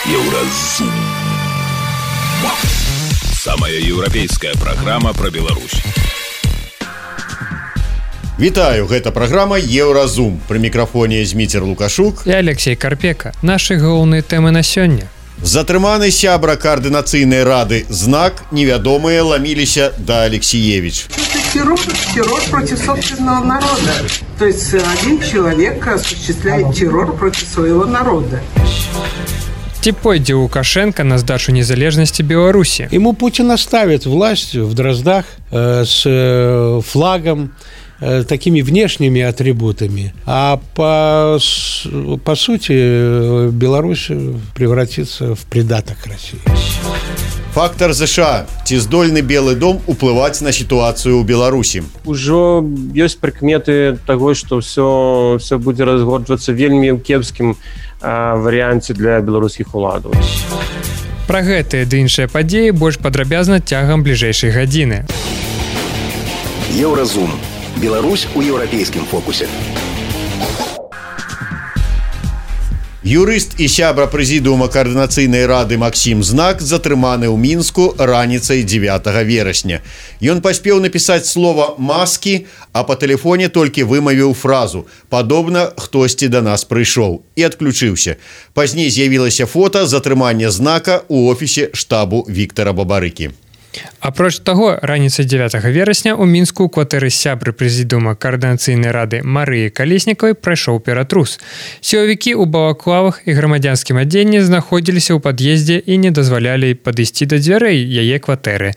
Еўразум. Самая еўрапейская праграма пра Беларусь. Вітаю, гэта праграма Еўразум. Пры мікрафоне Зміцер Лукашук і Алексей Карпека. Нашы галоўныя тэмы на сёння. Затрыманы сябра координацыйнай рады ЗНАК, невядомыя ламіліся да Алексеевич. Террор против собственного народа. То есть один человек осуществляет террор против своего народа. Ці пойдзе Лукашенко на сдачу незалежности Беларуси? Ему Путин оставит власть в Дроздах с флагом, такими внешними атрибутами, а по сути Беларусь превратится в придаток России. Фактор США. Ці здольны Белы дом уплываць на сітуацыю ў Беларусі? Ужо ёсць прыкметы таго, што все будзе разгорджвацца вельмі ў кепскім варыянце для беларускіх уладаў. Пра гэтыя ды іншыя падзеі больш падрабязна цягам бліжэйшай гадзіны. Еўразум. Беларусь у еўрапейскім фокусе. Юрыст і сябра прэзідыума координацыйнай рады Максім Знак затрыманы ў Мінску раніцай 9 верасня. Ён паспеў напісаць слова «маскі», а па тэлефоне толькі вымавіў фразу «падобна, хтосьці да нас прыйшоў» і адключыўся. Пазней з'явілася фота затрымання Знака ў офісе штабу Віктара Бабарыкі. Апроч таго, раніцай 9 верасня ў Мінску ў кватэры сябры прэзідыума координацыйнай рады Марыі Калеснікавай прайшоў ператрус. Сілавікі ў балаклавах і грамадзянскім адзенні знаходзіліся ў пад'ездзе і не дазвалялі падысці да дзвярэй яе кватэры.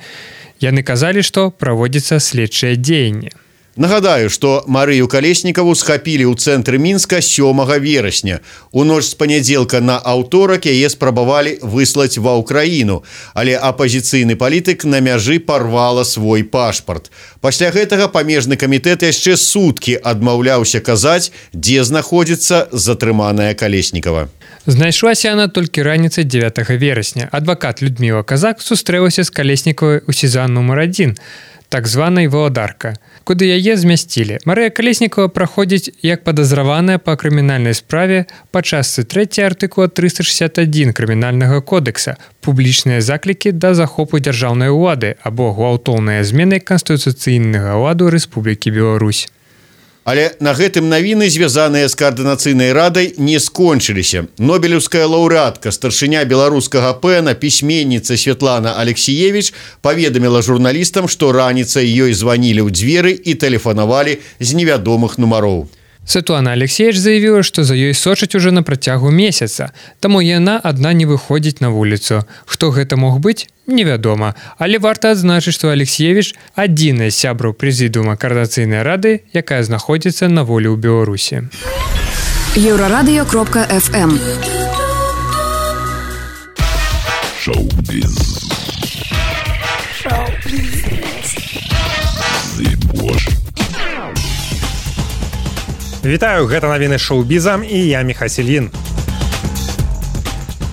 Яны казалі, што праводзіцца следчае дзеянне. Нагадаю, што Марыю Калеснікаву схапілі ў цэнтры Мінска 7 верасня. У ноч з панядзелка на аўторак яе спрабавалі выслаць ва ўкраіну, але апазіцыйны палітык на мяжы парвала свой пашпарт. Пасля гэтага памежны камітэт яшчэ суткі адмаўляўся казаць, дзе знаходзіцца затрыманая Калеснікава. Знайшлася яна толькі раніцай 9 верасня. Адвакат Людміла Казак сустрэлася з Калеснікавай у сезон нумар 1, так званай «Валадарка», куды яе змясцілі. Марыя Калеснікава праходзіць як падазраваная па крымінальнай справе па частцы 3 артыкула 361 крымінальнага кодекса «Публічныя заклікі да захопу дзяржаўнай улады» або «Гвалтоўныя змены канстытуцыйнага ладу Рэспублікі Беларусь». Але на гэтым навіны, звязаныя з координацыйнай радай, не скончыліся. Нобелеўская лаўрэатка, старшыня беларускага ПЭНа, пісьменніца Святлана Алексеевич паведаміла журналістам, што раніцай ёй званілі ў дзверы і тэлефанавалі з невядомых нумароў. Святлана Алексеевич заявіла, што за ёй сочаць уже на працягу месяца, таму яна адна не выходзіць на вуліцу. Хто гэта мог быць, невядома. Але варта адзначыць, што Алексеевич адзіная сябра прэзідыума координацыйнай рады, якая знаходзіцца на волі ў Беларусі. Еврорадио.FM. Шоу-біз. Вітаю, гэта навіны шоу-бізам і я Міхасілін.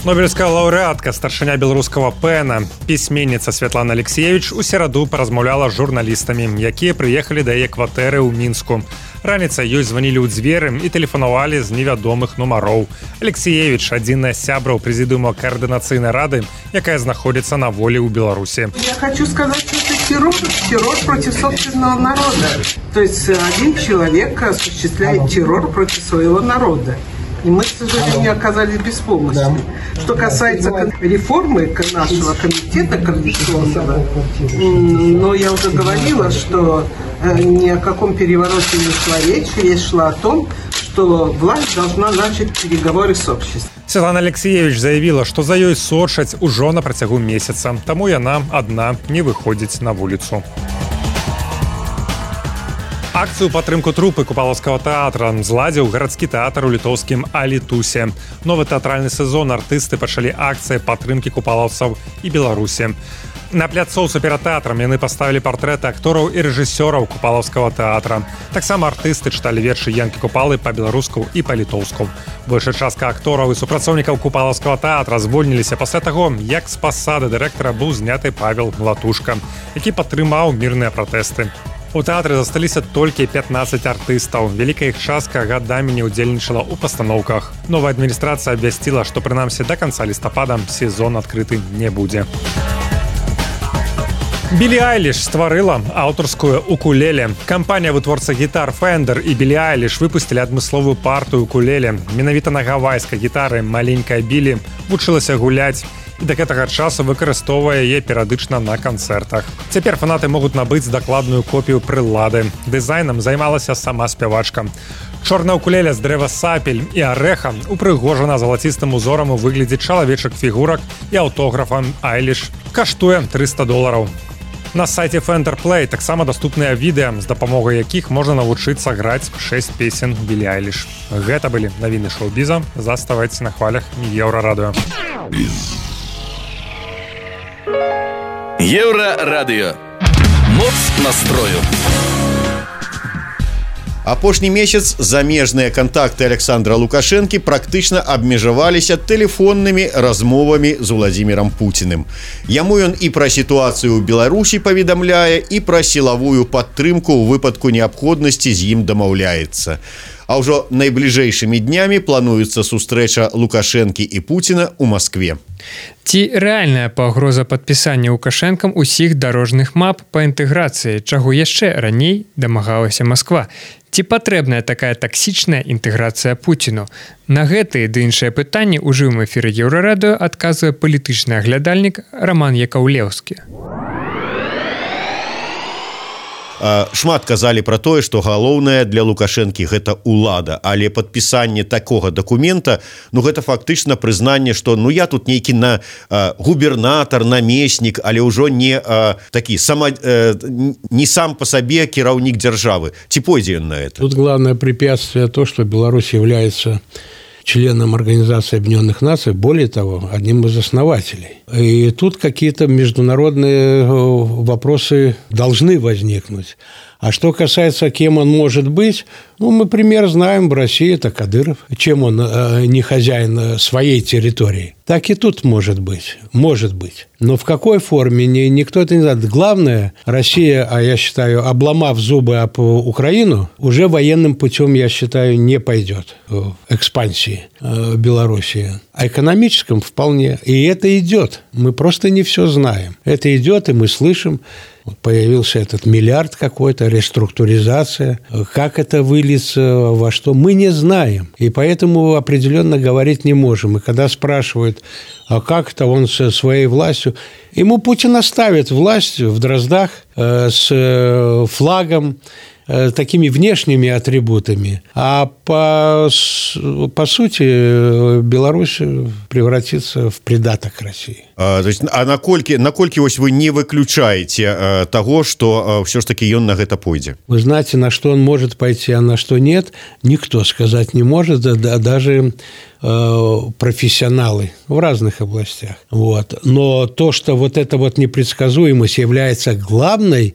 Нобелевская лаўрэатка, старшыня беларускага ПЭНа, пісьменніца Святлана Алексеевич у сераду паразмаўляла з журналістамі, якія прыехалі да яе кватэры ў Мінску. Раніцай ёй званілі ў дзверы і тэлефанавалі з невядомых нумароў. Алексеевич адзіная сябра прэзідыума координацыйнай рады, якая знаходзіцца на волі ў Беларусі. Я хочу сказать, что это террор против собственного народа. То есть один человек осуществляет террор против своего народа. И мы, к сожалению, оказались беспомощны. Что касается реформы нашего комитета координационного, но я уже говорила, что ни о каком перевороте не шла речь. Речь шла о том, что власть должна начать переговоры с обществом. Святлана Алексеевич заявила, што за ёй сочаць ужо на працягу месяца, таму яна адна не выходзіць на вуліцу. Акцыю падтрымку трупы купалаўскага тэатра зладзіў гарадскі тэатр у літоўскім Алітусе. Новы тэатральны сезон артысты пачалі акцыі падтрымкі купалаўцаў і Беларусі. На пляцоўцы перад тэатрам яны паставілі партрэты актораў і рэжысёраў купалаўскага тэатра. Таксама артысты чыталі вершы Янкі Купалы па-беларуску і па-літоўску. Большая частка актораў і супрацоўнікаў купалаўскага тэатра звольніліся пасля таго, як з пасады дырэктара быў зняты Павел Латушка, які падтрымаў мірныя пратэсты. У тэатры засталіся толькі 15 артыстаў. Вялікая іх частка гадамі не ўдзельнічала ў пастаноўках. Новая адміністрацыя абвясціла, што прынамсі да канца лістапада сезон адкрыты не будзе. Білі Айліш стварыла аўтарскую укулеле. Кампанія вытворца гітар Fender і Білі Айліш выпусцілі адмысловую партыю укулеле. Менавіта на гавайскай гітары маленькая Білі вучылася гуляць і да гэтага часу выкарыстоўвае яе перыядычна на канцэртах. Цяпер фанаты могуць набыць дакладную копію прылады. Дызайнам займалася сама спявачка. Чорная укулеле з дрэва сапель і арэха упрыгожана залацістым узорам у выглядзе чалавечых фігурак і аўтографам Айліш. Каштуе $300. На сайце Fender Play таксама даступныя відэа, з дапамогай якіх можна навучыцца граць 6 песен Білі Айліш. Гэта былі навіны шоу-біза. Заставайце на хвалях Еўрарадыё. Еўрарадыё. Моц настрою. Апошні месяц замежныя кантакты Александра Лукашэнкі практычна абмежаваліся тэлефоннымі размовамі з Уладзімірам Пуціным. Яму ён і пра сітуацыю ў Беларусі паведамляе, і пра сілавую падтрымку ў выпадку неабходнасці з ім дамаўляецца. А ўжо найбліжэйшымі днямі плануецца сустрэча Лукашэнкі і Пуціна ў Маскве. Ці рэальная пагроза падпісання Лукашэнкам усіх дарожных мап па інтэграцыі, чаго яшчэ раней дамагалася Масква? Ці патрэбная такая таксічная інтэграцыя Пуціну? На гэтыя ды іншыя пытанні ў жывым эфіры Еўрарадыё адказвае палітычны аглядальнік Роман Якаўлеўскі. Шмат казалі пра тое, што галоўнае для Лукашэнкі гэта ўлада, але падпісанне такога дакумента, гэта фактычна прызнанне, што я тут нейкі губернатар, намеснік, але ўжо не такі не сам па сабе кіраўнік дзяржавы. Ці пойдзе ён на это? Тут главное препятствие то, что Беларусь является членом Организации Объединенных Наций, более того, одним из основателей. И тут какие-то международные вопросы должны возникнуть. А что касается, кем он может быть, мы пример знаем в России, это Кадыров. Чем он не хозяин своей территории? Так и тут может быть. Может быть. Но в какой форме, никто это не знает. Главное, Россия, я считаю, обломав зубы об Украину, уже военным путем, я считаю, не пойдет в экспансии Белоруссии. А экономическом вполне. И это идет. Мы просто не все знаем. Это идет, и мы слышим. Появился этот миллиард какой-то, реструктуризация. Как это выльется, во что, мы не знаем. И поэтому определенно говорить не можем. И когда спрашивают, а как это он со своей властью, ему Путин оставит власть в Дроздах с флагом, такими внешними атрибутами, а по сути Беларусь превратится в придаток России. Наколькі вось вы не выключаете того, что все ж таки он на гэта пойдзе? Вы знаете, на что он может пойти, а на что нет, никто сказать не может, даже профессионалы в разных областях. Но то, что эта непредсказуемость является главной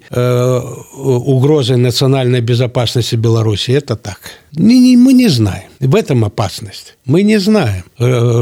угрозой национальной безопасности Беларуси, это так. Мы не знаем. В этом опасность. Мы не знаем,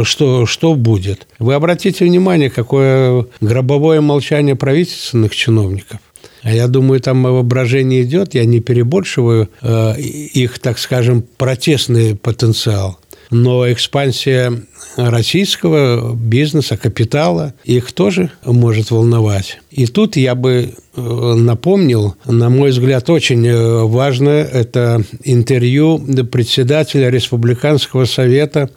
что будет. Вы обратите внимание, какое гробовое молчание правительственных чиновников. А я думаю, там воображение идет, я не перебольшиваю их, так скажем, протестный потенциал. Но экспансия российского бизнеса, капитала, их тоже может волновать. И тут я бы напомнил, на мой взгляд, очень важное, это интервью председателя Республиканского совета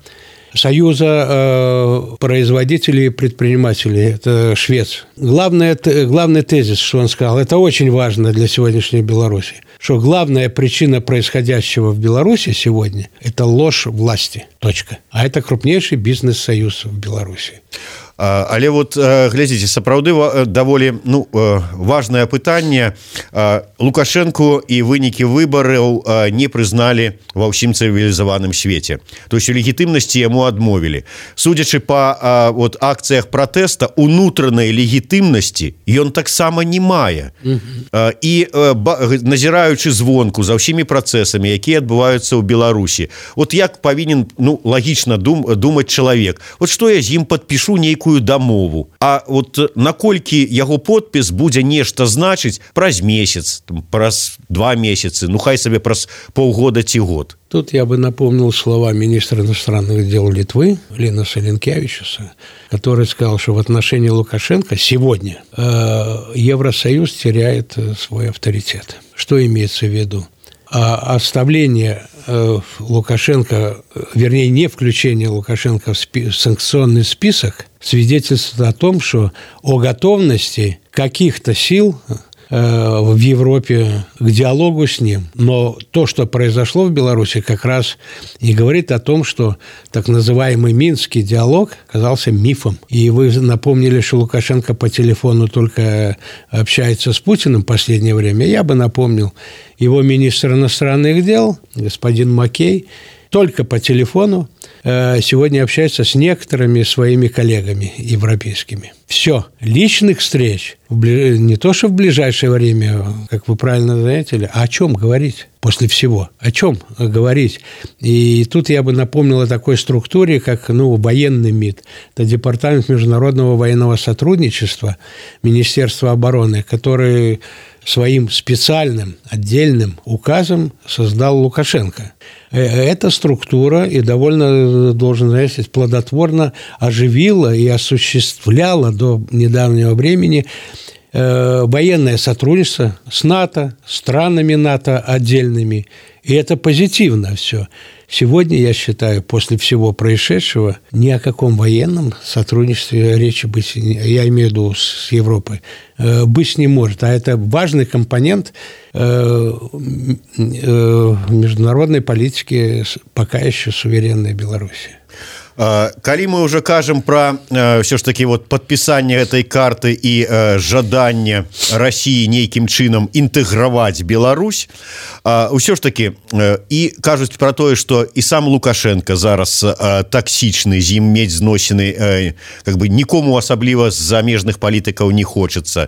Союза производителей и предпринимателей, это швец. Главный тезис, что он сказал, это очень важно для сегодняшней Беларуси, что главная причина происходящего в Беларуси сегодня – это ложь власти. Точка. А это крупнейший бизнес-союз в Беларуси. Але глядзіце, сапраўды даволі важнае пытанне. Лукашэнку і вынікі выбараў не прызналі ва ўсім цывілізаваным свеце. То есть легітымнасці яму адмовілі. Судзячы па акцыях пратэста, унутранай легітымнасці ён таксама не мае. І назіраючы звонку за ўсімі працэсамі, якія адбываюцца ў Беларусі, як павінен лагічна думаць чалавек. Што я з ім падпішу нейкую нейкую дамову. А вот наколькі яго подпіс будзе нешта значыць праз месяц, праз 2 месяцы, ну хай сабе праз полгода ці год. Тут я бы напомнил слова министра иностранных дел Литвы Линаса Линкевичуса, который сказал, что в отношении Лукашенко сегодня Евросоюз теряет свой авторитет. Что имеется в виду? Оставление Лукашенко, вернее, не включение Лукашенко в санкционный список свидетельствует о том, что о готовности каких-то сил в Европе к диалогу с ним. Но то, что произошло в Беларуси, как раз и говорит о том, что так называемый Минский диалог оказался мифом. И вы напомнили, что Лукашенко по телефону только общается с Путиным в последнее время. Я бы напомнил, его министр иностранных дел, господин Маккей, только по телефону сегодня общается с некоторыми своими коллегами европейскими. Все. Личных встреч не то, что в ближайшее время, как вы правильно заметили, а о чем говорить после всего? О чем говорить? И тут я бы напомнил о такой структуре, как военный МИД. Это Департамент международного военного сотрудничества Министерства обороны, который своим специальным отдельным указом создал Лукашенко. Эта структура и довольно, должен сказать, плодотворно оживила и осуществляла до недавнего времени военное сотрудничество с НАТО, странами НАТО отдельными. И это позитивно все. Сегодня, я считаю, после всего происшедшего, ни о каком военном сотрудничестве речи быть, я имею в виду с Европой, быть не может. А это важный компонент международной политики пока еще суверенной Беларуси. Калі мы уже кажам про все ж таки вот подписание этой карты и жаданне России нейкім чынам інтэграваць Беларусь, ўсё ж таки і кажуць про тое, что і сам Лукашенко зараз таксічны, з ім мець зносіны как бы нікому асабліва з замежных палітыкаў не хочется.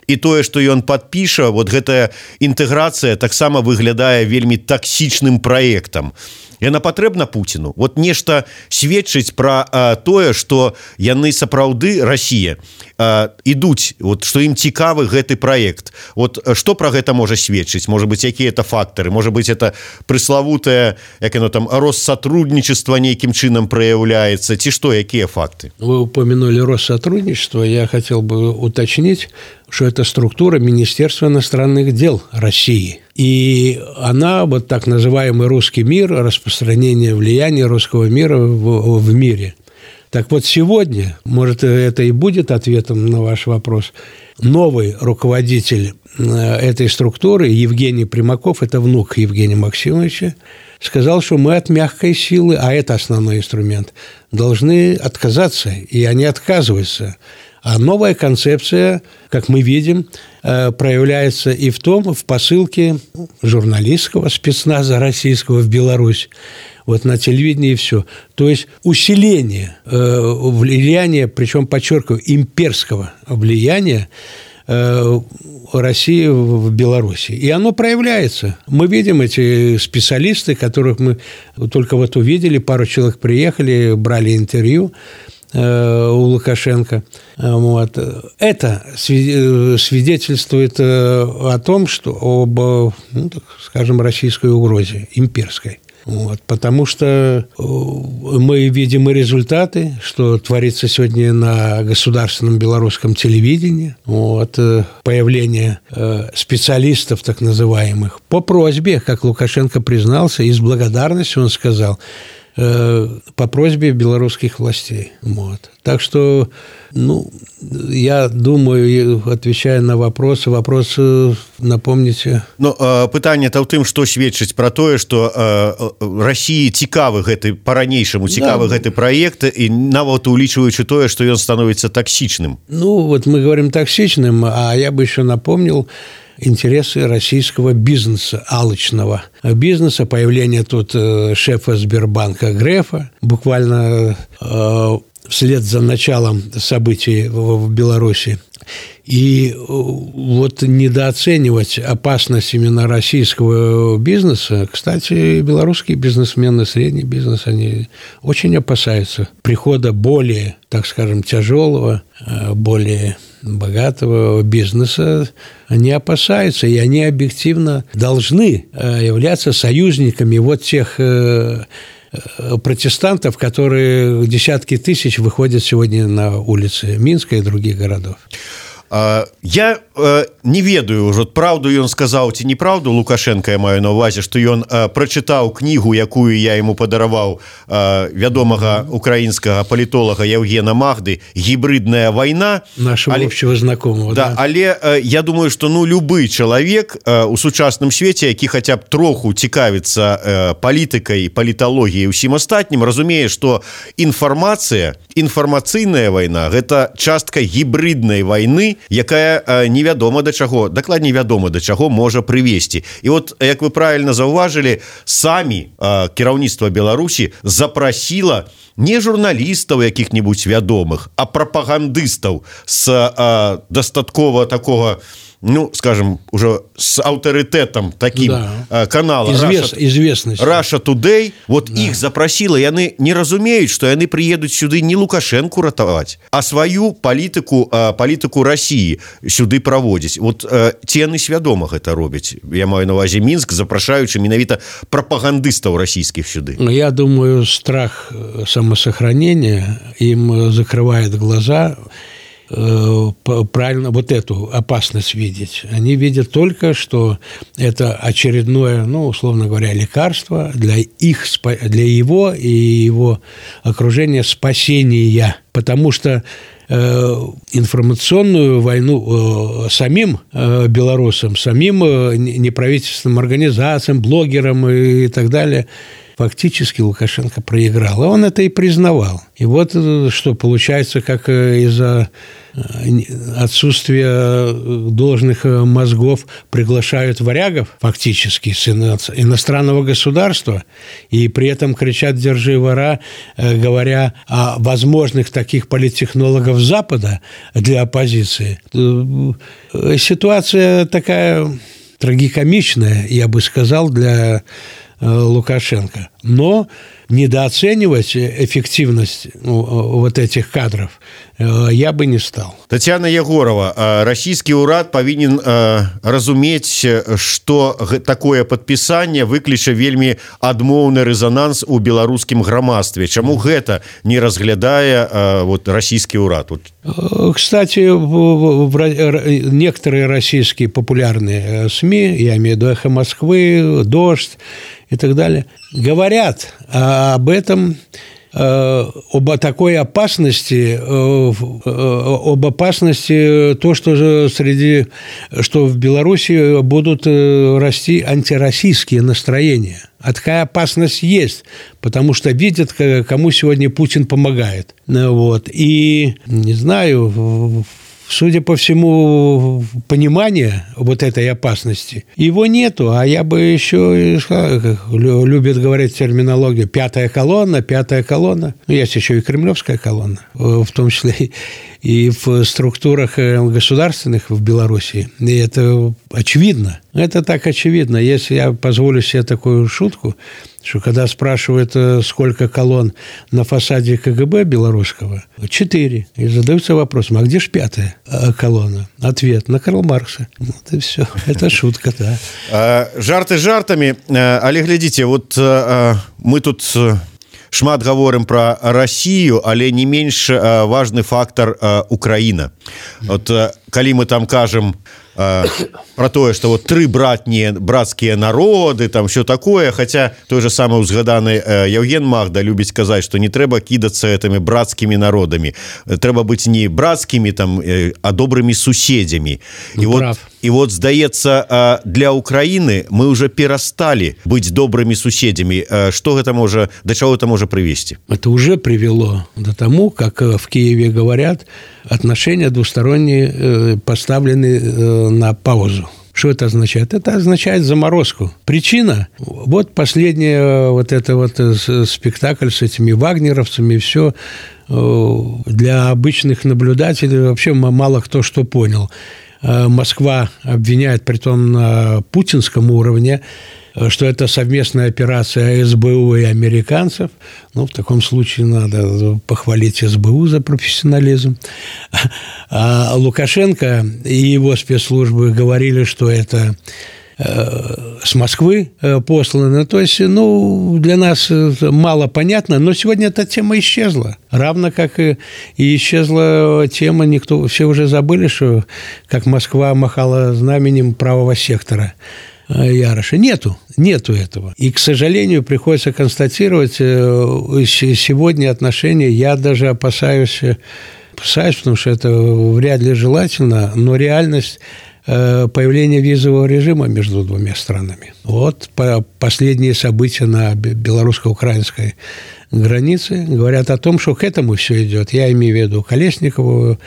І тое, што ён падпіша, вот гэтая інтэграцыя таксама выглядае вельмі таксічным праектам. Яна патрэбна Пуціну. Вот нешта сведчыць пра тое, што яны сапраўды, Расія, ідуць, вот, што ім цікавы гэты праект. Вот што пра гэта можа сведчыць? Можа быць, якія это фактары? Можа быць, это прыславутае, як яно там, Россотрудничество нейкім чынам праяўляецца? Ці што, якія факты? Вы упомянули Россотрудничество. Я хотел бы уточнить, что это структура Министерства иностранных дел России. И она, вот так называемый русский мир, распространение влияния русского мира в мире. Так вот сегодня, может, это и будет ответом на ваш вопрос, новый руководитель этой структуры, Евгений Примаков, это внук Евгения Максимовича, сказал, что мы от мягкой силы, а это основной инструмент, должны отказаться, и они отказываются. А новая концепция, как мы видим, проявляется и в посылке журналистского спецназа российского в Беларусь, вот на телевидении и все. То есть усиление влияния, причем, подчеркиваю, имперского влияния России в Беларуси. И оно проявляется. Мы видим эти специалисты, которых мы только вот увидели, пару человек приехали, брали интервью у Лукашенко. Вот. Это свидетельствует о том, что об, скажем, российской угрозе, имперской. Вот. Потому что мы видим и результаты, что творится сегодня на государственном белорусском телевидении. Вот. Появление специалистов, так называемых, по просьбе, как Лукашенко признался, и с благодарностью он сказал, по просьбе белорусских властей. Вот. Так что, я думаю, отвечая на вопрос напомните. Пытанне-то ў тым, што сведчыць пра тое, што Расіі цікавы гэты, па-ранейшаму цікавы гэты праект, і нават улічваючы тое, што ён становіцца таксічным. Вот мы говорим токсичным, а я бы еще напомнил интересы российского бизнеса, алчного бизнеса, появление тут шефа Сбербанка Грефа, буквально в вслед за началом событий в Беларуси. И вот недооценивать опасность именно российского бизнеса, кстати, белорусские бизнесмены, средний бизнес, они очень опасаются прихода более, так скажем, тяжелого, более богатого бизнеса. Они опасаются, и они объективно должны являться союзниками вот тех протестантов, которые десятки тысяч выходят сегодня на улицы Минска и других городов. Я не ведаю ўжо праўду ён сказаў ці неправду Лукашенко, я маю на ўвазе, што ён прачытаў кнігу, якую я яму падараваў, вядомага украінскага палітолага Евгена Махды «Гібридная вайна». Нашего общего знакомого. Да, але я думаю, што любы чалавек у сучасным свеце, які хаця б троху цікавіцца палітыкай, паліталогіяй, усім астатнім, разумее, што інфармацыйная вайна – гэта частка гібриднай вайны, якая невядома да чаго, дакладней вядома да чаго можа прывесці. І вот, як вы правильно заўважылі, самі кіраўніцтва Беларусі запрасіла не журналістаў якіх-небудзь вядомых, а прапагандыстаў з дастаткова такого, скажем, уже с авторитетом таким канала Russia Today, вот их запросила, и они не разумеют, что они приедут сюда не Лукашенко ратовать, а свою политику России сюда проводить. Вот те они свядома это робят. Я маю на увазе Минск, запрашаючи менавіта пропагандистов российских сюда. Я думаю, страх самосохранения им закрывает глаза. Правильно вот эту опасность видеть. Они видят только, что это очередное, условно говоря, лекарство для его и его окружения спасения. Потому что информационную войну самим белорусам, самим неправительственным организациям, блогерам и так далее фактически Лукашенко проиграл. И он это и признавал. И вот что получается, как из-за отсутствия должных мозгов приглашают варягов фактически с иностранного государства и при этом кричат «держи вора», говоря о возможных таких политтехнологов Запада для оппозиции. Ситуация такая трагикомичная, я бы сказал, для Лукашенко. Но недооценивать эффективность вот этих кадров я бы не стал. Татьяна Егорова, российский урад повинен разуметь, что такое подписание выкліча вельмі адмоўны резонанс у беларускім грамадстве. Чаму гэта не разглядае российский урад? Кстати, некоторые российские популярные СМИ, я имею в виду «Эхо Москвы», «Дождь» и так далее, говорят об этом, об такой опасности, об опасности то, что в Беларуси будут расти антироссийские настроения. А такая опасность есть, потому что видят, кому сегодня Путин помогает. И, не знаю, судя по всему, понимания вот этой опасности, его нету, а я бы еще, как любят говорить терминологию, пятая колонна, есть еще и кремлевская колонна, в том числе и в структурах государственных в Беларуси. И это очевидно. Это так очевидно. Если я позволю себе такую шутку, что когда спрашивают, сколько колонн на фасаде КГБ белорусского, 4. И задаются вопросом, а где же 5-я колонна? Ответ: на Карла Маркса. Вот и все. Это шутка, да. Жарты жартами, але глядите, вот мы тут шмат гаворым про Россию, але не менш важный фактор Украина. Вот калі мы там кажем про тое, что вот 3 братские народы, там все такое, хотя той же самый узгаданы Евген Махда любіць казаць, что не трэба кідацца этими братскими народами, трэба быть не братскими там, а добрыми суседзямі. И вот здаецца, для Украины мы уже перестали быть добрыми суседзямі. Что гэта можа, до чего это может привести? Это уже привело до тому, как в Киеве говорят, отношения двусторонние поставлены на паузу. Что это означает? Это означает заморозку. Причина? Вот последний вот это вот спектакль с этими вагнеровцами, все для обычных наблюдателей вообще мало кто что понял. Москва обвиняет, притом на путинском уровне, что это совместная операция СБУ и американцев. В таком случае надо похвалить СБУ за профессионализм. А Лукашенко и его спецслужбы говорили, что это с Москвы посланы. То есть, для нас мало понятно, но сегодня эта тема исчезла. Равно как и исчезла тема, все уже забыли, что как Москва махала знаменем правого сектора Яроша. Нету этого. И, к сожалению, приходится констатировать, сегодня отношения, я даже опасаюсь, потому что это вряд ли желательно, но реальность появления визового режима между двумя странами. Последние события на белорусско-украинской границе говорят о том, что к этому все идет. Я имею в виду Колесникову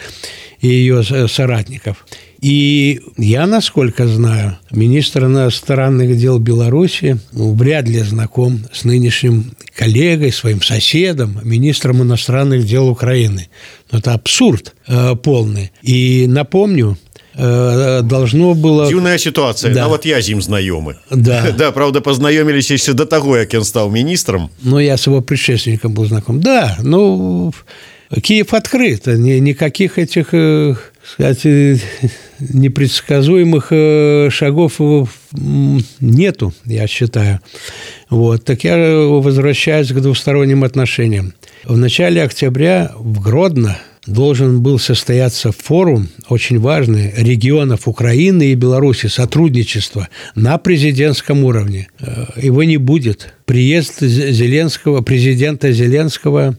и ее соратников. И я, насколько знаю, министр иностранных дел Беларуси вряд ли знаком с нынешним коллегой, своим соседом, министром иностранных дел Украины. Это абсурд полный. И напомню, должно было... Дзіўная ситуация. Да. Я з ім знаёмы. Да. Да, правда, познаёмились еще до того, как он стал министром. Я с его предшественником был знаком. Да, Киев открыт. Никаких этих, кстати, непредсказуемых шагов нету, я считаю. Так я возвращаюсь к двусторонним отношениям. В начале октября в Гродно должен был состояться форум, очень важный, регионов Украины и Беларуси, сотрудничество на президентском уровне. Его не будет. Приезд президента Зеленского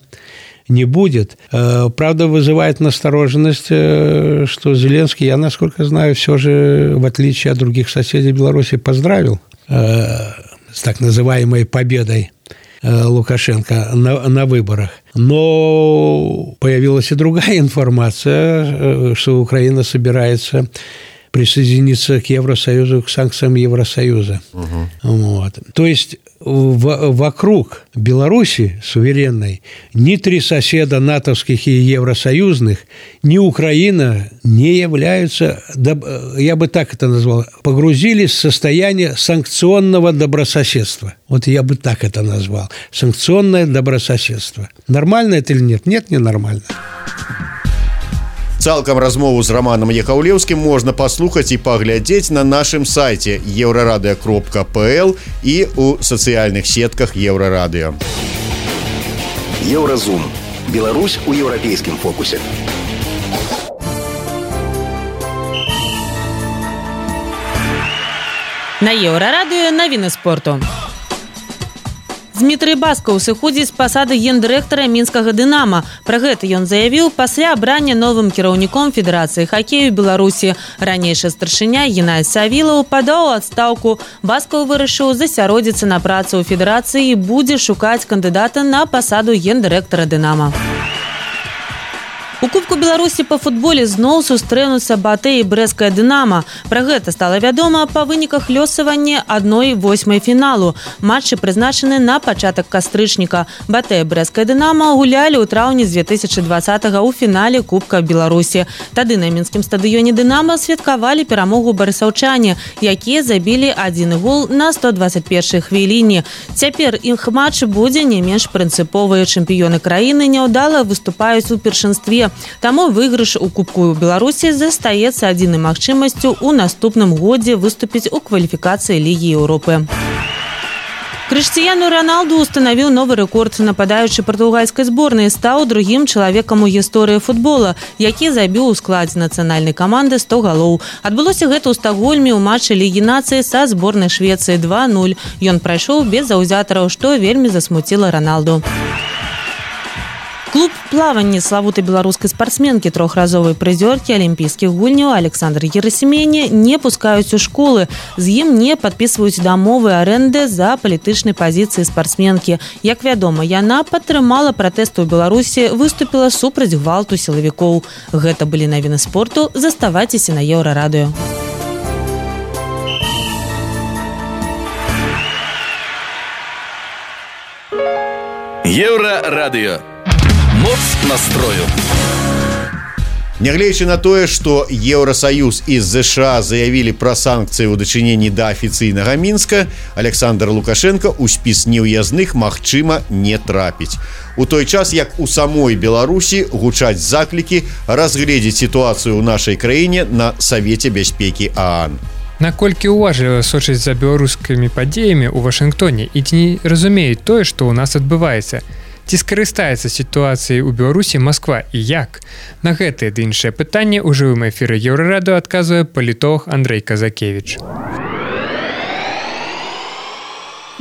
не будет. Правда, вызывает настороженность, что Зеленский, я, насколько знаю, все же, в отличие от других соседей Беларуси, поздравил с так называемой победой Лукашенко на выборах. Но появилась и другая информация, что Украина собирается присоединиться к Евросоюзу, к санкциям Евросоюза. То есть вокруг Беларуси суверенной ни три соседа натовских и евросоюзных, ни Украина не являются, я бы так это назвал, погрузились в состояние санкционного добрососедства. Я бы так это назвал. Санкционное добрососедство. Нормально это или нет? Нет, не нормально. Цалкам размову з Романом Яхаўлеўскім можна паслухаць і паглядзець на нашым сайце euraradio.pl і ў сацыяльных сетках Еўрарадыё. Еўразум. Беларусь у еўрапейскім фокусе. На Еўрарадыё навіны спорту. Дмітрый Баскаў сыходзіць з пасады гендырэктара мінскага «Дынама». Пра гэта ён заявіў пасля абрання новым кіраўніком Федэрацыі хакею Беларусі. Ранейшы старшыня Геннадзь Савілаў падаў у адстаўку. Баскаў вырашыў засяродзіцца на працу ў федэрацыі і будзе шукаць кандыдата на пасаду гендырэктара «Дынама». У Кубку Беларусі па футболе зноў сустрэнуцца Батэ і брэсцкая «Дынама». Пра гэта стала вядома па выніках лёсавання 1/8 фіналу. Матчы прызначаны на пачатак кастрычніка. Батэ і брэсцкая «Дынама» гулялі ў траўні 2020-го ў фінале Кубка Беларусі. Тады на мінскім стадыёне «Дынама» святкавалі перамогу барысаўчане, якія забілі 1 гол на 121-й хвіліне. Цяпер іх матч будзе не менш прынцыповы. Чэмпіёны краіны няўдала выступаюць у першынстве. Таму выйгрыш у Кубку Беларусі застаецца адзінай магчымасцю ў наступным годзе выступіць у кваліфікацыі Лігі Еўропы. Крыштіяну Роналду устанавіў новы рэкорд. Нападаючы партугальскай зборнай стаў другім чалавекам у гісторыі футбола, які забіў у складзе нацыянальнай каманды 100 галоў. Адбылося гэта ў Стокгольме ў матчы Лігі нацыі са зборнай Швецыі 2-0. Ён прайшоў без заўзятараў, што вельмі засмуціла Роналду. Клуб плавання славутай беларускай спартсменкі, трохразовай прызёркі алімпійскіх гульняў Александр Герасімене не пускаюць у школы. З ім не падпісваюць дамовы арэнды за палітычнай пазіцыі спартсменкі. Як вядома, яна падтрымала пратэсты ў Беларусі, выступіла супраць гвалту сілавікоў. Гэта былі навіны спорту. Заставайцеся на Еўрарадыё. Еўрарадыё. Моц настрою. Нягледзячы на тое, што Еўрасаюз і ЗША заявілі пра санкцыі ў дачыненні да афіцыйнага Мінска, Александр Лукашенко ў спіс неўязных, магчыма, не трапіць. У той час, як у самой Беларусі гучаць заклікі разгледзець сітуацыю ў нашай краіне на Савеце бяспекі ААН. Наколькі уважліва сочаць за беларускімі падзеямі ў Вашынгтоне і ці не разумеюць тое, што ў нас адбываецца? Ці скарыстаецца сітуацыяй у Беларусі Масква і як? На гэтае ды іншае пытанне ў жывым эфіры Еўрараду адказвае палітолог Андрэй Казакевіч.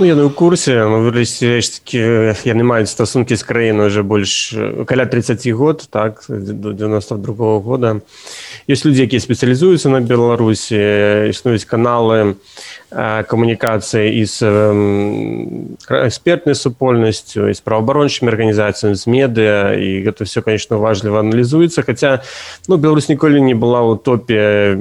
Яны ў курсе, яны маюць стасункі з краінай уже больш каля 30 год, так, до 92 года. Ёсць людзі, якія спецыялізуюцца на Беларусі, існуюць каналы камунікацыі і з экспертнай супольнасцю, і з праваабарончымі арганізацыямі, з медыа, і гэта все, конечно, уважліва аналізуецца, хаця Беларусь ніколі не была ў топе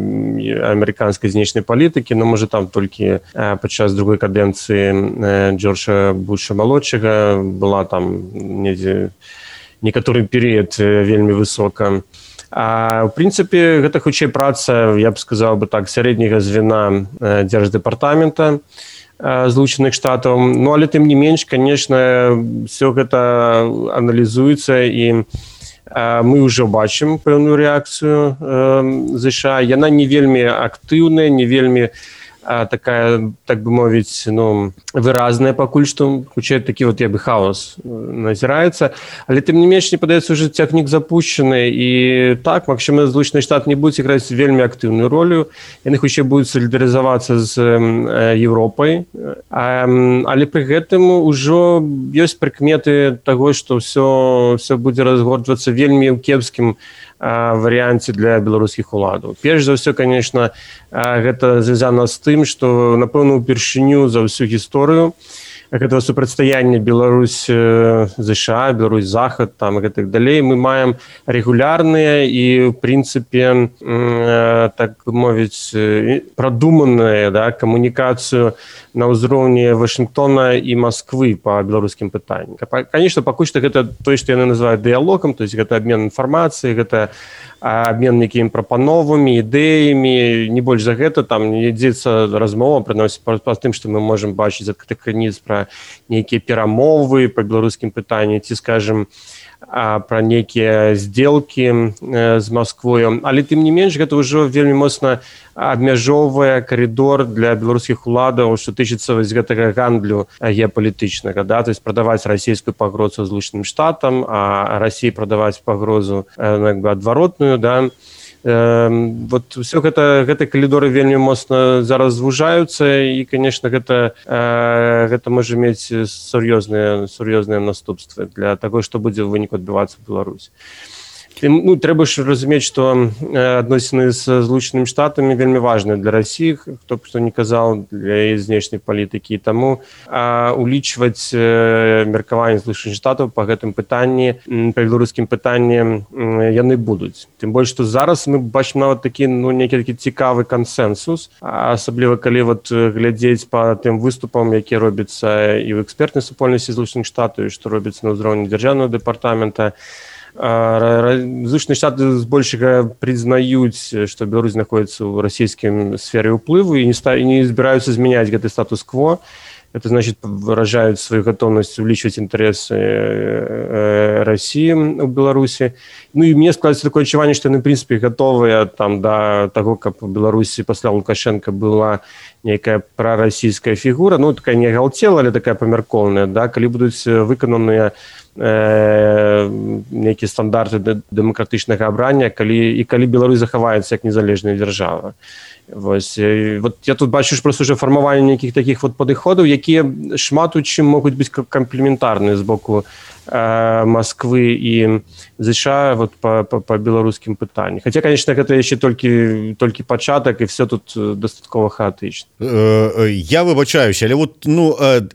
амерыканскай знешняй палітыкі, можа там толькі падчас другой кадэнцыі Джорджа Буша малодшага была там недзе некаторы перыяд вельмі высока. А в прынцыпе гэта хутчэй праца, я б сказаў бы так, сярэдняга звена дзярждэпартамента Злучаных Штатаў. Але тым не менш, конечно, все гэта аналізуецца і мы ўжо бачым пэўную рэакцыю ЗША. Яна не вельмі актыўная, не вельмі такая, так бы мовіць, выразная пакуль што, хутчэй такі я бы хаос назіраецца, але тым не менш, мне падаецца, уже цягнік запущены, і так, магчыма, Злучаныя Штаты не будуць іграць вельмі актыўную ролю, яны хутчэй будуць салідарызавацца з Еўропай, але пры гэтым ужо ёсць прыкметы таго, што все будзе разгортвацца вельмі ў кепскім варыянце для беларускіх уладаў. Перш за ўсё, конечно, гэта звязана з тым, што, напэўна, упершыню за ўсю гісторыю гэтага супрацьстаяння Беларусь-ЗША, Беларусь-Захад, там і гэтак далей, мы маем рэгулярныя і, в прынцыпе, так мовіць, прадуманую камунікацыю на ўзроўні Вашынгтона і Масквы па беларускім пытанні. Конечно, пакуль што гэта тое, што яны называюць дыялогам, то есть гэта абмен інфармацыі, гэта абмен нейкімі прапановамі, ідэямі, не больш за гэта, там не ідзецца размова, прыносіць па тым, што мы можам бачыць з адкрытых крыніц пра нейкія перамовы па беларускім пытанні, ці, скажем, пра нейкія здзелкі з Масквою. Але тым не менш, гэта ўжо вельмі моцна абмяжоўвае карыдор для беларускіх уладаў, што тычыцца гэтага гандлю геапалітычнага, то есть прадаваць расійскую пагрозу Злучаным Штатам, а Расіі прадаваць пагрозу адваротную, все гэты калідоры вельмі моцна зараз звужаюцца, і, конечно, гэта можа мець сур'ёзныя наступствы для таго, што будзе ў выніку адбывацца ў Беларусі. Трэба ж разумець, што адносіны з Злучанымі Штатамі вельмі важныя для Расіі, хто б што не казаў, для яе знешняй палітыкі, і таму улічваць меркаванне Злучаных Штатаў па гэтым пытанні, па беларускім пытанні яны будуць. Тым больш, што зараз мы бачым нават такі нейкі такі цікавы кансэнсус, асабліва калі глядзець па тым выступам, якія робяцца і ў экспертнай супольнасці Злучаных Штатаў, і што робіцца на ўзроўні дзяржаўнага дэпартамента. Злучаныя Штаты збольшага прызнаюць, што Беларусь знаходіцца ў расійскім сферы ўплыву і не збіраюцца змяняць гэты статус-кво. Это значит, выражаюць сваю гатоўнасць увеличивать інтарэсы Расіі ў Беларусі. І мне складаецца такое адчуванне, што яны, в прынцыпе, гатовыя да таго, каб у Беларусі пасля Лукашенка была нейкая прарасійская фігура, такая не галтела, але такая памяркоўная, калі будуць выкананыя нейкія стандарты дэмакратычнага абрання, калі Беларусь захаваецца як незалежная дзяржава. Я тут бачу просто уже фармаванне нейкіх такіх падыходаў, якія шмат у чым могуць быць камплементарныя з боку Масквы і ЗША па беларускім пытанні. Хаця, конечно, гэта яшчэ толькі пачатак, і все тут дастаткова хаатычна. Я выбачаюся, але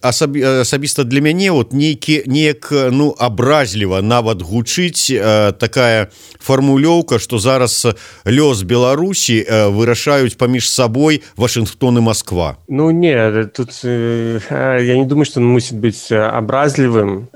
асабіста для мяне неяк абразліва нават гучыць такая фармулёўка, што зараз лёс Беларусі вырашаюць паміж сабой Вашынгтон і Масква. Не, тут я не думаю, што он мусіць быць абразлівым,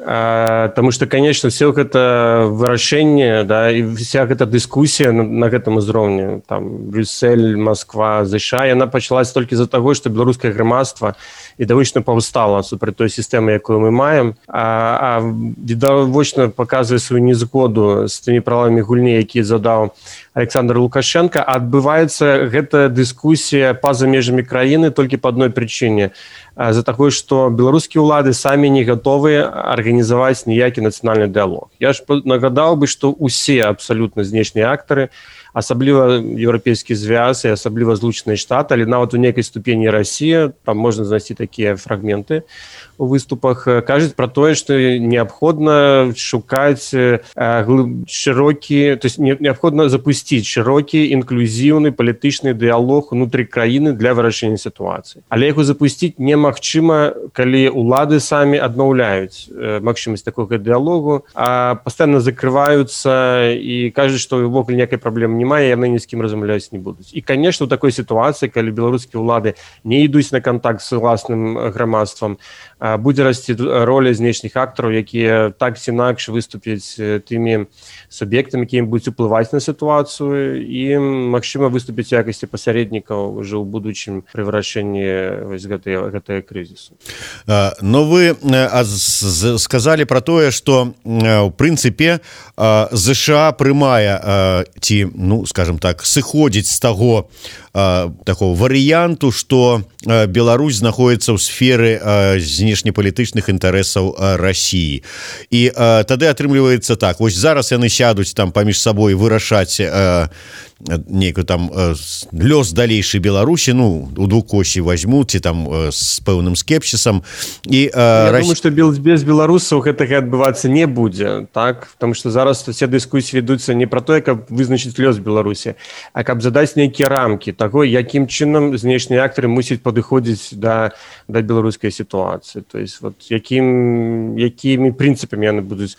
потому что, конечно, все гэта выражаюць вырашэнне, да, і вся гэта дыскусія на гэтым узроўні, там Брюссель, Москва, ЗША, яна пачалась толькі з-за таго, што беларускае грамадства відавочна паўстала супраць той сістэмы, якую мы маем, а відавочна паказвае сваю незгоду з тымі правамі гульні, якія задаў Александр Лукашенко. Адбываецца гэтая дыскусія па-за межамі краіны толькі па адной прычыне, з-за таго, што беларускія ўлады самі не гатовыя арганізаваць ніякі нацыянальны дыялог. Я ж нагадаў бы, што ўсе абсалютна знешнія актары, асабліва еўрапейскі звяз і асабліва Злучаныя Штаты, але нават у нейкай ступені Расія, там можна знайсці такія фрагменты у выступах, кажуць пра тое, што неабходна шукаць шырокі, то есть неабходна запусціць шырокі інклюзіўны палітычны дыялог унутры краіны для вырашэння сітуацыі. Але яго запусціць немагчыма, калі ўлады самі аднаўляюць магчымасць такога дыялогу, а пастаянна закрываюцца і кажуць, што ўвогуле ніякай праблемы немає, яны ні з кім размаўляць не будуць. І, канешне, у такой сітуацыі, калі беларускія ўлады не ідуць на кантакт з уласным грамадствам, будзе расці роля знешніх актараў, якія так ці інакш выступяць тымі суб'ектамі, якія будуць уплываць на сітуацыю і, магчыма, выступіць у якасці пасярэднікаў ўжо ў будучым пры вырашэнні гэтага крызісу. Но вы сказалі пра тое, што ў прынцыпе ЗША прымае ці, ну, скажем так, сыходзіць з таго такого варыянту, што Беларусь знаходіцца ў сферы знешнепалітычных інтарэсаў Расіі. І тады атрымліваецца так, вось зараз яны сядуць там паміж сабой вырашаць нейкі там лёс далейшай Беларусі, ну, у двукосі возьмуць ці там з пэўным скепсісам. І я думаю, што без беларусаў гэтага адбывацца не будзе, так? Потому што зараз все дыскусіі ведуцца не пра тое, каб вызначыць лёс Беларусі, а каб задаць нейкія рамкі таго, якім чынам знешнія актары мусяць падыходзіць да беларускай сітуацыі. То есть вот якімі прынцыпамі яны будуць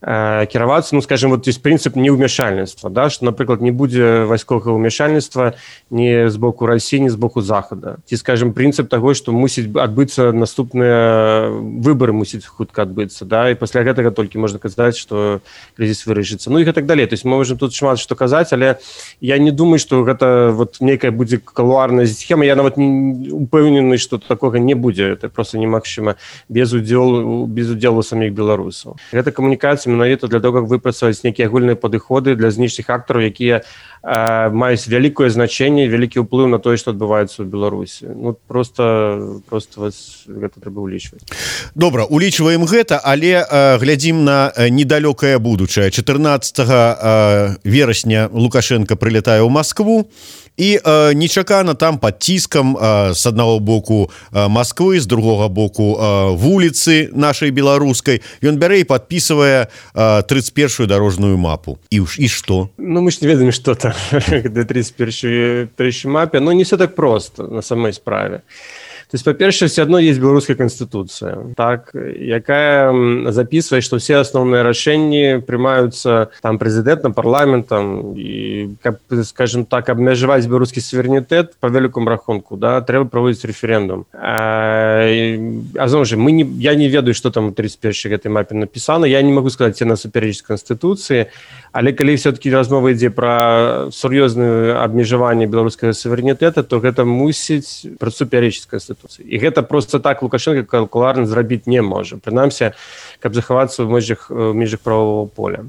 кіравацца, ну, скажем, вот есть прынцып неўмяшальніцтва, да, што, напрыклад, не будзе вайсковага ўмяшальніцтва ні з боку Расіі, ні з боку Захада. Ці, скажем, прынцып таго, што мусіць адбыцца наступныя выбары, мусіць хутка адбыцца, да, і пасля гэтага толькі можна казаць, што крызіс вырашыцца. Ну і гэтак далей. То есть мы можем тут шмат што казаць, але я не думаю, што гэта вот нейкая будзе кулуарная схема. Я нават не упэўнены, што такога не будзе. Это просто немагчыма без удзелу самих беларусаў. Гэта камунікацыя менавіта для того, каб выпрацаваць нейкія агульныя падыходы для знешніх актараў, якія маюць вялікае значэнне, вялікі ўплыў на тое, што адбываецца ў Беларусі. Ну, просто вас гэта трэба ўлічваць. Добра, улічваем гэта, але глядзім на недалёкае будучае. 14 верасня Лукашенко прылятае ў Маскву, і нечакана там пад ціскам з аднаго боку Масквы, з другога боку вуліцы нашай беларускай, ён бярэ і падпісвае 31-ю дарожную мапу. І што? Ну, мы ж не ведаем, што там на 31-й мапе, но не все так просто на самой справе. То есть, па-першае, все адно есть беларуская конституция, так, якая записывает, что все основные рашэнні прымаюцца там прэзідэнтам, парламентам, і, скажем так, абмежаваць беларускі суверэнітэт по вялікому рахунку, да, трэба праводзіць рэферэндум. Зноў жа, я не ведаю, што там у 31-й гэтай мапе напісана, я не могу сказаць, ці насупереч конституцыі, але калі все-таки размова ідзе пра сур'ёзнае абмежаванне беларускага суверэнітэта, то гэта мусіць прасуперечыць конституцыі. І гэта просто так Лукашенко калькулярна зрабіць не можа. Прынамсі, каб захавацца ў межах правового поля.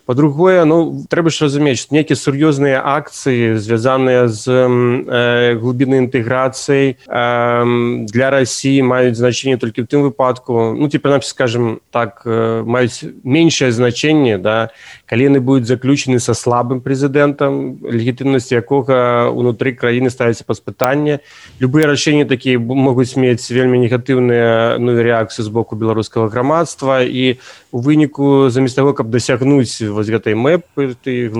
Па-другое, ну, трэба ж разумець, што нейкія сур'ёзныя акцыі, звязаныя з глыбіннай інтэграцыяй для Расіі маюць значэнне толькі ў тым выпадку, ну, ці прынамсі, скажем так, маюць меншае значэнне, да, калі яны будуць заключены са слабым прэзідэнтам, легітымнасць якога ўнутры краіны ставіцца пад пытанне. Любыя рашэнні такія могуць мець вельмі негатыўныя рэакцыі з боку беларускага грамадства, і у выніку замест таго, каб дасягнуць вось гэтай мэпы,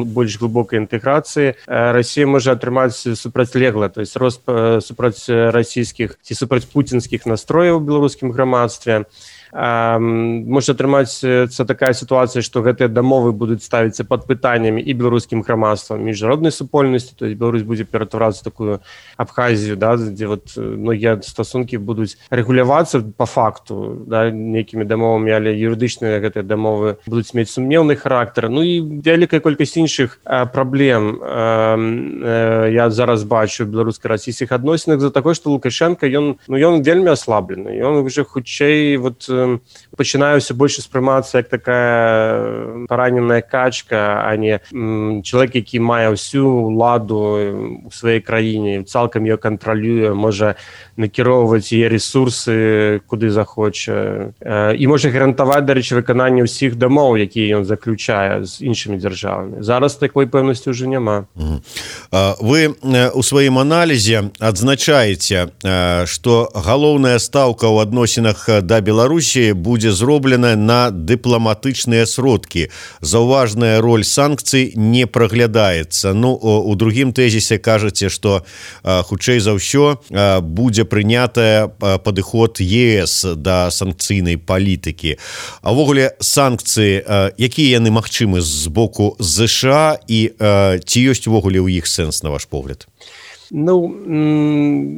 больш глыбокай інтэграцыі, Расія можа атрымаць супрацьлегла, то есть рост супраць расійскіх ці супраць пуцінскіх настрояў у беларускім грамадстве. можа атрымацца такая сітуацыя, што гэтыя дамовы будуць ставіцца пад пытаннямі і беларускім грамадствам, міжнароднай супольнасці, то есть Беларусь будзе ператварацца такую Абхазію, да, дзе вот многія стасункі будуць рэгулявацца па факту, да, нейкімі дамовамі, але юрыдычныя гэтыя дамовы будуць мець сумнеўны характар. Ну і вялікая колькасць іншых праблем я зараз бачу ў беларуска-расійскіх адносінах за такое, што Лукашенко ён вельмі аслаблены. Ён уже хутчэй вот пачынае ўсё больш успрымацца як такая параненая качка, а не чалавек, які мае ўсю ўладу ў сваёй краіне, цалкам ее кантралюе, можа накіроўваць яе ресурсы куды захоча і можа гарантаваць, дарэчы, выкананне ўсіх дамоў, якія ён заключае з іншымі дзяржавамі. Зараз такой пэўнасці ўжо няма. Вы у сваім аналізе адзначаеце, што галоўная стаўка ў адносінах да Беларусі будзе зроблена на дыпламатычныя сродкі. Заўважная роль санкцый не праглядаецца. Ну, у другім тэзісе кажаце, што хутчэй за ўсё будзе прынятая падыход ЕС да санкцыйнай палітыкі. А ўвогуле санкцыі, якія яны магчымы з боку ЗША і ці ёсць увогуле ў іх сэнс, на ваш погляд? Ну,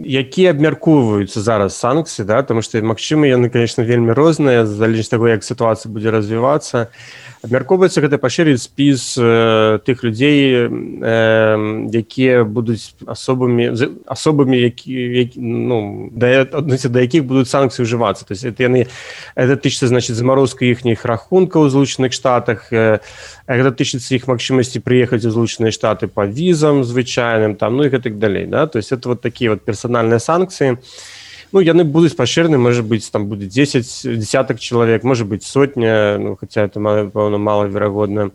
якія абмяркоўваюцца зараз санкцыі, да, тому што магчыма яны, конечно, вельмі розныя, залежыць таго, як сітуацыя будзе развівацца. Абмяркоўваецца гэта пашырыць спіс тых людзей, якія будуць асобамі, да якіх будуць санкцыі ўжывацца. То есть это тычыцца, значит, замарозка іхніх рахункаў у Злучаных Штатах, гэта тычыцца іх магчымасці прыехаць у Злучаныя Штаты па візам звычайным, там, ну і гэтак далей, да? То есть это вот такія вот персанальныя санкцыі. Ну, яны будуць пашыраны, можа быць, там будзе 10 десятак чалавек, можа быць сотня, ну, хаця это, пэўна, малаверагодна.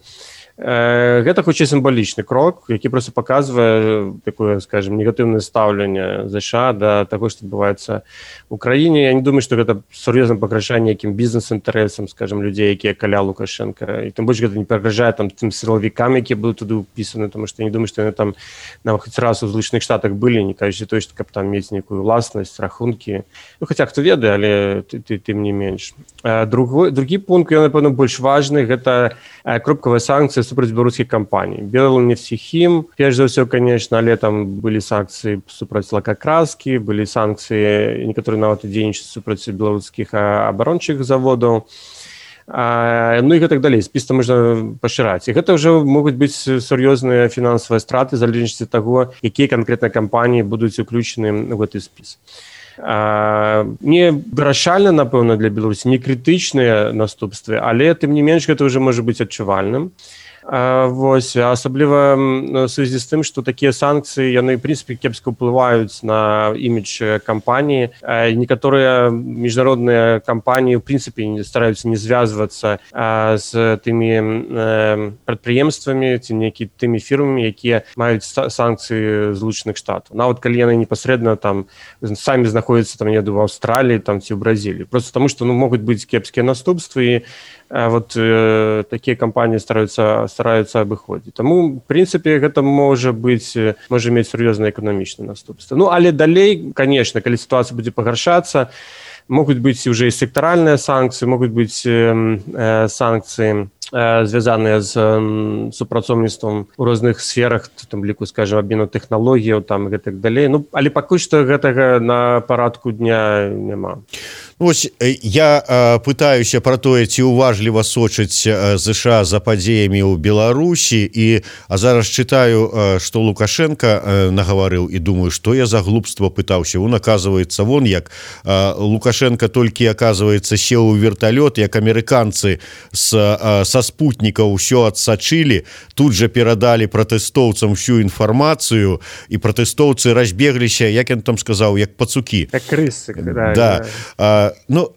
Гэта хутчэй сімвалічны крок, які проста паказвае такое, скажем, негатыўнае стаўленне ЗША да таго, што адбываецца ў краіне. Я не думаю, што гэта сур'ёзна пагражае нейкім бізнес-інтарэсам, скажем, людзей, якія каля Лукашенка. І тым больш гэта не пагражае там тым сілавікам, якія будуць туды ўпісаны, тому што я не думаю, што яны там нават хоць раз у Злучаных Штатах былі, не кажучы той, што каб там мець нейкую ўласнасць, рахункі. Ну, хаця хто ведае, але тым не менш. Другі пункт, ён, напэўна, больш важны, гэта кропкавыя санкцыі супраць беларускіх кампаній. Белнефтехим, перш за ўсё, конечно, але там былі санкцыі супраць лакакраскі, былі санкцыі, некаторыя нават дзейнічаюць супраць беларускіх абарончых заводаў. Ну і гэтак далей, спіс там можна пашыраць. І гэта ўжо могуць быць сур'ёзныя фінансавыя страты, залежнасці таго, якія канкрэтныя кампаніі будуць уключаны ў гэты спіс. Не вырашальна, напэўна, для Беларусі, не крытычныя наступствы, але тым не менш гэта ўжо можа быць адчувальным. Вось, асабліва ў сувязі з тым, што такія санкцыі, яны, в прынцыпе, кепска ўплываюць на імідж кампаніі. Некаторыя міжнародныя кампаніі, в прынцыпе, стараюцца не звязвацца з тымі прадпрыемствамі ці тымі фірмамі, якія маюць санкцыі Злучаных Штатаў. Нават калі яны непасрэдна там самі знаходзяцца там, я думаю, в Аўстраліі там, ці ў Бразіліі. Просто таму, што могуць быць кепскія наступствы, і вот такія кампаніі стараюцца абыходзіць. Таму, в прынцыпе, гэта можа мець сур'ёзныя эканамічныя наступствы. Ну, але далей, конечно, калі сітуацыя будзе пагаршацца, могуць быць уже і сектаральныя санкцыі, могуць быць санкцыі, звязаныя з супрацоўніцтвам у розных сферах, там ліку, скажем, абмену тэхналогіяў, там і гэтак далей. Ну, але пакуль што гэтага на парадку дня няма. Ось я пытаюся пра тое, ці уважліва сочыць ЗША за падзеямі ў Беларусі, а зараз чытаю, што Лукашенко нагаварыў, і думаю, што я за глупства пытаўся. Он, оказывается, вон як Лукашенко толькі, оказывается, сеў у верталёт, як амерыканцы са спутнікаў ўсё адсачылі, тут жа перадалі пратэстоўцам всю інфармацыю, і пратэстоўцы разбегліся, як ён там сказаў, як пацукі. Як крысы. Да. Ну,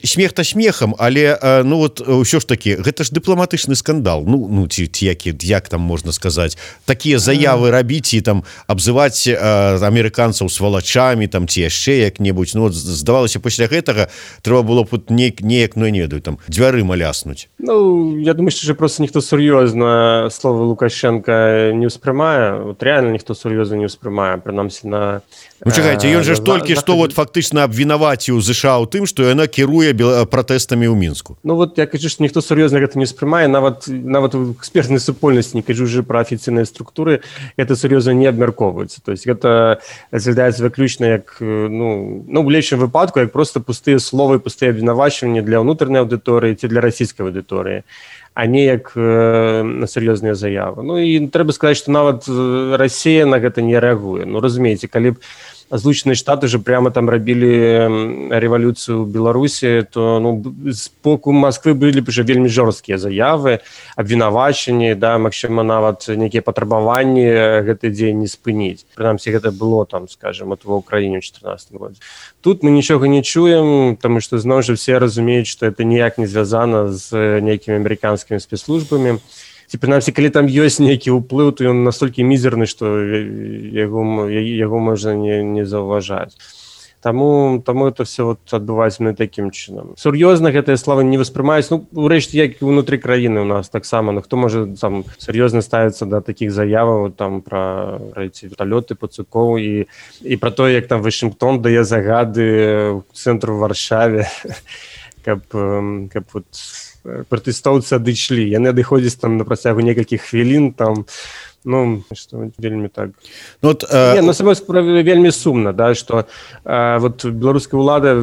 смех-то смехам, але ну вот ўсё ж таки, гэта ж дыпламатычны скандал. Ну ці як там можна сказаць, такія заявы рабіць і там абзываць амерыканцаў свалачамі там ці яшчэ як-небудзь. Ну, здавалася, пасля гэтага трэба было б неяк, ну, я не ведаю, там дзвярыма ляснуць. Ну, я думаю, што просто ніхто сур'ёзна словы Лукашенка не ўспрымае. Вот реально ніхто сур'ёзна не ўспрымае, прынамсі на... Ну, чакайце, ён же ж толькі што вот фактычна абвінаваціў ЗША ў ў тым, што яна кіруе пратэстамі ў Мінску. Ну вот я кажу, што ніхто сур'ёзна гэта не ўспрымае, нават у экспертнай супольнасці, не кажу уже пра афіцыйныя структуры, гэта сур'ёзна не абмяркоўваецца. То есть гэта разглядаецца выключна як, у лепшым выпадку, як проста пустыя словы, пустыя абвінавачванні для ўнутранай аўдыторыі ці для расійскай аўдыторыі, а не як на сур'ёзныя заявы. Ну і трэба сказаць, што нават Расія на гэта не рэагуе. Ну разумееце, калі б Злучаныя Штаты же прямо там рабілі рэвалюцыю ў Беларусі, то з боку Масквы былі б уже вельмі жорсткія заявы, абвінавачанні, магчыма, нават нейкія патрабаванні гэты дзень не спыніць. Прынамсі, гэта было там, скажем, ва ўкраіне ў 2014 годзе. Тут мы нічога не чуем, таму што зноў жа все разумеюць, што это ніяк не звязана з нейкімі амерыканскімі спецслужбамі. Ці, прынамсі, калі там ёсць нейкі ўплыў, то ён настолькі мізерны, што яго можна не заўважаць. Таму это все адбываецца такім чынам. Сур'ёзна гэтыя словы не воспрымаюць. Урэшце, як і ўнутры краіны у нас таксама. Хто можа сур'ёзна ставіцца да такіх заяваў пра эти верталёты, пацукоў і пра тое, як там Вашынгтон дае загады цэнтру ў Варшаве, каб пратэстоўцы адышлі. Яны адыходзяць там на працягу некалькіх хвілін, што вельмі так. Само справа вельмі сумна, што беларуская ўлада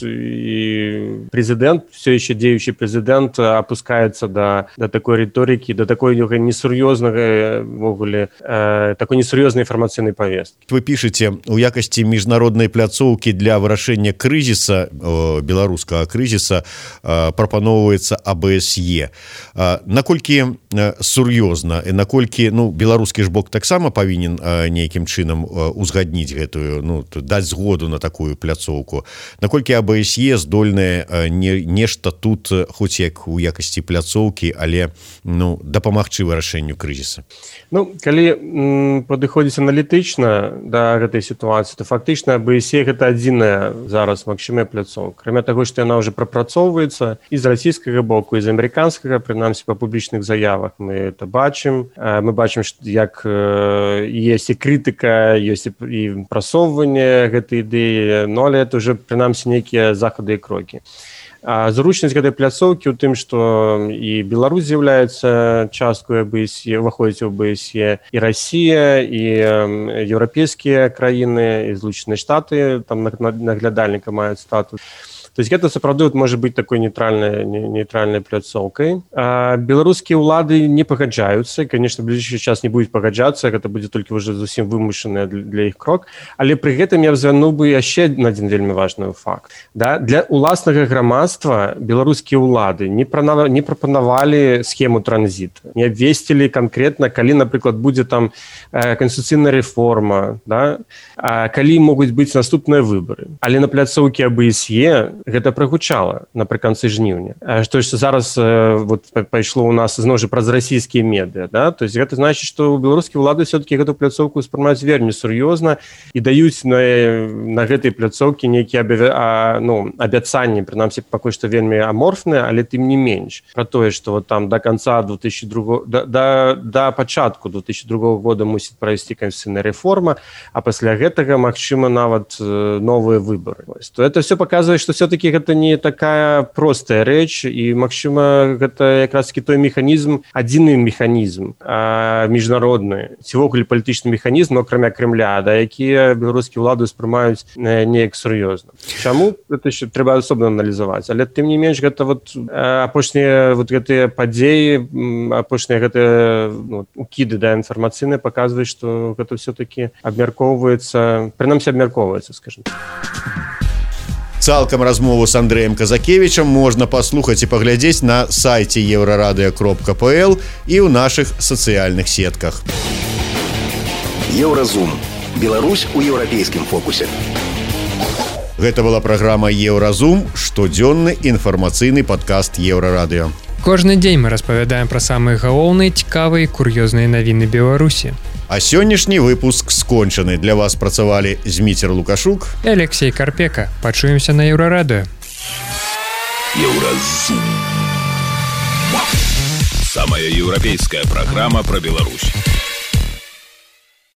і прэзідэнт, все еще дзеючы прэзідэнт апускаецца да такой рыторыкі, да такой несур'ёзнага ввогуле, такой несур'ёзнай інфармацыйнай павесткі. Вы пішаце, у якасці міжнароднай пляцоўкі для вырашэння крызіса, беларускага крызіса, прапаноўваецца АБСЕ. Наколькі сур'ёзна і наколькі, беларускі ж бок таксама павінен нейкім чынам узгадніць гэтую, даць згоду на такую пляцоўку. Наколькі АБСЕ здольнае нешта тут, хоць як у якасці пляцоўкі, але дапамагчы вырашэнню крызіса? Калі падыходзіць аналітычна да гэтай сітуацыі, то фактычна АБСЕ гэта адзіная зараз магчымая пляцоўка. Акрамя таго, што яна ўжо прапрацоўваецца і з расійскага боку, і з амерыканскага, прынамсі па публічных заявах мы это бачым. Мы бачым, як ёсць і крытыка, ёсць і прасоўванне гэтай ідэі, але это ўжо прынамсі нейкія захады і крокі. Зручнасць гэтай пляцоўкі ў тым, што і Беларусь з'яўляецца часткай АБСЕ, уваходзіць у АБСЕ, і Расія, і еўрапейскія краіны, і Злучаныя Штаты, там наглядальніка маюць статус. То есть гэта сапраўды можа быць такой нейтральнай пляцоўкай. Беларускія ўлады не пагаджаюцца, конечно, в ближайшы час не будуць пагаджацца, гэта будзе толькі ўжо зусім вымушаны для іх крок, але пры гэтым я звярнуў бы яшчэ адзін вельмі важны факт. Для уласнага грамадства беларускія ўлады не прапанавалі схему транзіту, не абвесцілі канкрэтна, калі, напрыклад, будзе там канстытуцыйная рэформа, калі могуць быць наступныя выбары. Але на пляцоўкі АБСЕ гэта прагучала напрыканцы жніўня. Што зараз пайшло ў нас зноў жа праз расійскія медыа. То есть гэта значыць, што беларускія ўлады все-таки гэту пляцоўку ўспрымаюць вельмі сур'ёзна і даюць на гэтай пляцоўкі нейкія абяцанні, прынамсі пакуль што вельмі аморфныя, але тым не менш. Пра тое, што там да канца 2002 да пачатку 2002 года мусіць прайсці канстытуцыйная рэформа, а пасля гэтага магчыма нават новыя выбары. То это все паказвае, што все-таки гэта не такая простая рэч, і, магчыма, гэта якраз-таки той механізм, адзіны механізм міжнародны, ці ввогуле палітычны механізм, акрамя Крэмля, якія беларускія ўлады ўспрымаюць неяк сур'ёзна. Чаму? Гэта ще трэба асобна аналізаваць. Але тым не менш, гэта апошнія гэтыя падзеі, апошнія гэтыя укіды інфармацыйныя паказваюць, што гэта все-таки абмяркоўваецца, прынамсі абмяркоўваецца, скажем. Цалкам размову з Андрэем Казакевічам можна паслухаць і паглядзець на сайце еўрарадыё.пл і ў нашых сацыяльных сетках. Еўразум. Беларусь у еўрапейскім фокусе. Гэта была праграма Еўразум, штодзённы інфармацыйны падкаст Еўрарадыё. Кожны дзень мы распавядаем пра самыя галоўныя, цікавыя і кур'ёзныя навіны Беларусі. А сённяшні выпуск скончаны. Для вас працавалі Зміцер Лукашук і Алексей Карпека. Пачуемся на Еўрарадыё. Еўразум. Самая еўрапейская праграма пра Беларусь.